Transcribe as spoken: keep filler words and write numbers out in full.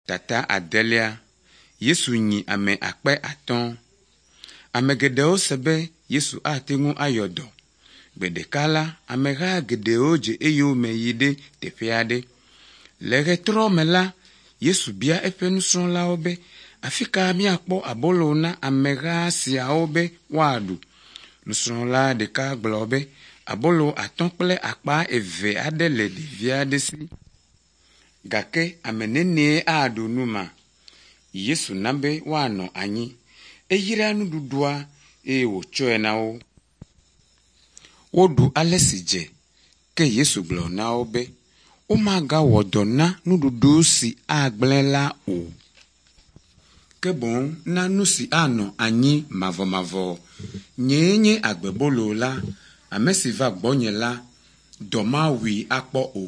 Tata adelia Yesu nyi ame akpe atɔ̃. Ame geɖewo se be Yesu ate ŋu ayɔ dɔ. Gbe ɖeka la, ameha geɖewo dze eyome yi ɖe teƒe aɖe. Le ɣetrɔ me la, Yesu bia eƒe nusrɔ̃lawo be, afi ka míakpɔ abolo na ameha siawo be woaɖu? Nusrɔ̃la ɖeka gblɔ be, abolo atɔ̃ kple akpa eve aɖe le ɖevi aɖe si. Gake ame nenie aɖu nu ma? Yesu na be woanɔ anyi. Eyra nuɖuɖua eye wòtsɔe na wo. Woɖu ale si dze. Ke Yesu gblɔ na wo be, womagawɔ dɔ na nuɖuɖu si agblẽ la o. Ke boŋ na nu si anɔ anyi mavɔmavɔ. Nyee nye agbebolo la. Ame si va gbɔnye la, dɔ mawui akpɔ o.